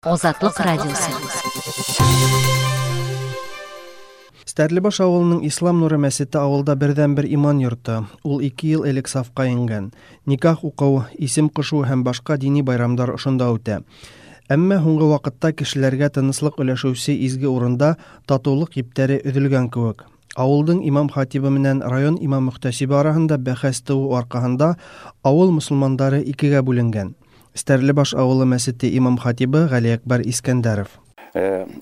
Азатлык радиосы. Стәрлебаш авылының Ислам нуры мәчете авылда бердәнбер иман йорты. Ул 2 ел элек сафка ингән. Никах уку, исем кушу һәм башка дини байрамдар ошында үтә. Әмма һуңгы вакытта кешеләргә тынычлык өләшүче изге урында татулык иптәре өзелгән кебек. Авылдың имам хатибы менән район имам мөхтәсибе арасында бәхәс туу аркаһында авыл мусулмандары икегә бүленгән. Стәрлебаш авылы мәчете имам хатибы Галиәкбәр Искәндәров.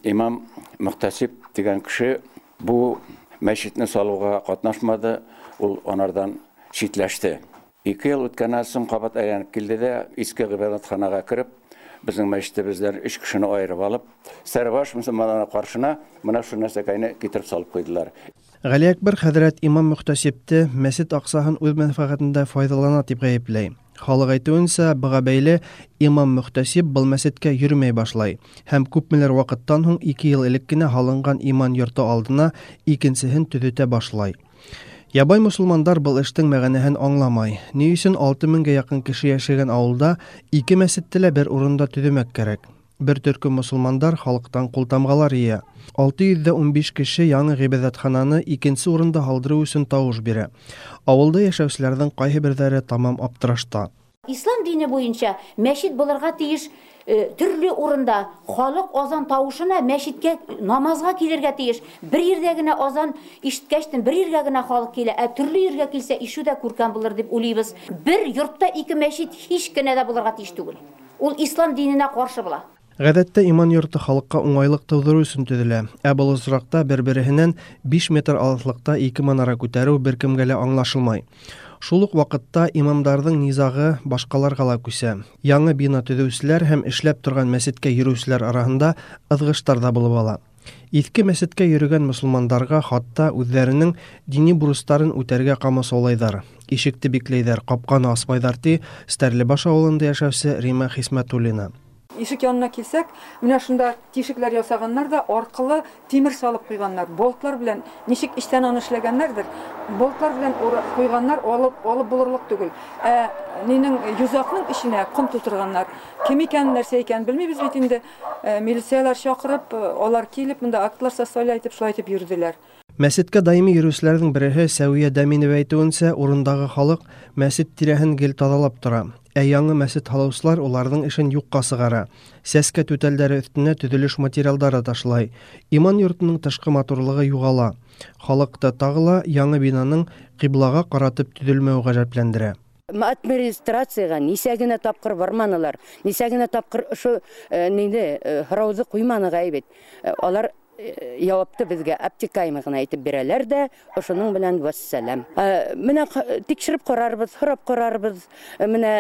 Имам мөхтәсиб дигән кеше бу мәчетне салуга катнашмады, ул анардан читләште. 2 ел үткәннән соң кабат әйләнеп килде дә, иске гыйбадәтханага кереп, безнең мәчетебездән 3 кешене аерып алып, Стәрлебаш мөселманнарына каршына менә шул нәрсәкәйне китереп салып куйдылар. Галиәкбәр хәзрәт имам мөхтәсибте мәчет аксаһын үз мәнфәгатендә файдалана дип гаепләй. Халык әйтүенчә, быга бәйле имам мөхтәсиб был мәчеткә йөрмәй башлай һәм күпмелер вакыттан һуң 2 ел элек кенә һалынган иман йорты алдына икенчеһен төзетә башлай. Ябай мусулмандар был эштең мәгәнәһен аңламай. Ни өчен 6000гә якын кеше яшәгән авылда ике мәчетте лә бер урында төземәк кәрәк? Бер төркем мусулмандар халыктан култамгалар ия. 615 кеше яңы гыйбадәтхананы икенче урында һалдыру өчен тавыш бирә. Авылда яшәүчеләрнең кайһы берҙәре тамам аптырашта. Ислам дине буенча мәчет булырга тиеш төрле урында. Халык азан тавышына мәчеткә намазга килергә тиеш. Бер җирдә генә азан ишеткәчтен бер җиргә генә халык килә, ә төрле җиргә килсә ишү дә күркәм булыр дип уйлыйбыз. Бер йортта ике мәчет һич кенә дә булырга тиеш түгел. Ул ислам диненә каршы була. Гадәттә иман йорты халыкка уңайлык тудыру өчен төзелә. Ә был очракта бер-береһеннән 5 метр алыслыкта ике манара күтәрү беркемгә лә аңлашылмай. Шул ук вакытта имамдарның низагы башкаларга ла күсә. Яңы бина төзүчеләр һәм эшләп торган мәчеткә йөрүчеләр арасында ызгыштар да булып ала. Иҫке мәчеткә йөрөгән мосолмандарга хатта үҙҙәренең дини бурыстарын үтәргә ҡамасаулайҙар. Ишекте бикләйҙәр, ҡапҡаны асмайҙар, ти Стәрлебаш авылында йәшәүсе Рима Хисмәтуллина. Ишек янына килсәк, менә шунда тишекләр ясаганнар да аркылы тимер салып куйганнар. Болтлар белән ничек эчтән аны эшләгәннәрдер, болтлар белән куйганнар, алып булырлык түгел. Ә нинең йозакның эченә ком тутырганнар. Кем икәнен, нәрсә икәнен белмибез бит инде. Милицияләр чакырып, алар килеп, монда актлар составлять итеп, шулай итеп йөрделәр. Мәчеткә даими йөрүчеләрнең береһе Сәвия Дәминова әйтүенчә, урындагы халык мәчет тирәһен гел тазалап тора. Ә яңы мәчет һалаучылар уларның эшен юкка сыгара. Сәскә түтәлдәре өстенә төзелеш материалдары ташлай. Иман йортының тышкы матурлыгы югала. Халыкта тагы ла яңы бинаның кыйблага каратып төзелмәүе гаҗәпләндерә. Администрациягә нисә генә тапкыр барманылар, нисә генә тапкыр ошо нине һорауҙы ҡуйманыҡ бит. Алар яуапты беҙгә обтекаемый ғына әйтеп бирәләр ҙә, ошоноң менән вәссәләм. Менә тикшереп ҡарарбыҙ, һорап ҡарарбыҙ, менә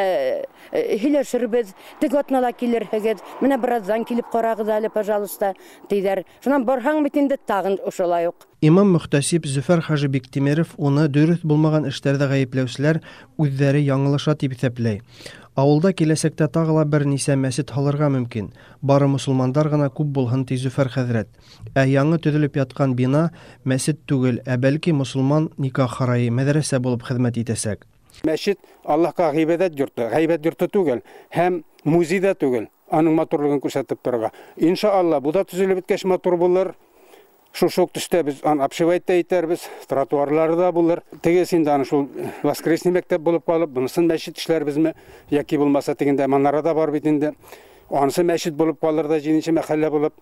һөйләшербеҙ, теге атнала килерһегеҙ, менә бераҙҙан килеп ҡарағыҙ әле, пожалуйста, тиҙәр. Шунан барһаң бит инде тағын ошолай уҡ. Имам мөхтәсиб Зөфәр хажи Биктимеров уны дөрөҫ булмаған эштәрҙә ғәйепләүселәр үҙҙәре яңылыша тип иҫәпләй. Ауылда киләсәктә тағы ла бер нисә мәсет һалырға мөмкин. Бары мосолмандар ғына күп булһын, ти Зөфәр хәҙрәт. Ә яңы төҙөлөп ятҡан бина мәсет түгел, ә бәлки мосолман никах һарайы, мәҙрәсә булып хеҙмәт итәсәк. Мәсет Аллаһҡа ғибәҙәт йорто, ғәйбәт йорто түгел һәм музей ҙа түгел. Аның матурлығын күрһәтеп торорға. Иншалла, бу да төҙөлөп бөткәс матур булыр. Шушы ук төштә без аны обшивать та итәрбез, тротуарлары да булыр. Тегесе инде аны шул воскресный мәктәп булып калып, бунысын мәчет эшләрбезме, яки булмаса тегендә манара да бар бит инде. Анысы мәчет булып калыр да, җиденче мәхәллә булып,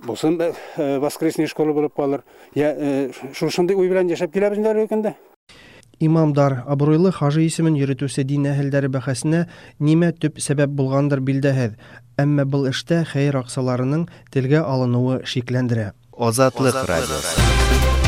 бусын воскресный школа булып калыр. Я шушындый уй белән яшәп киләбез инде әлеге көндә. Имамдар абруйлы хажы исемен йөрөтүсе дин әһелдәре бәхәсенә нимә төп сәбәп булгандыр билдәһеҙ. Әммә был эштә хәйер аҡсаларының телгә алыныуы шикләндерә. Азатлык радиосы.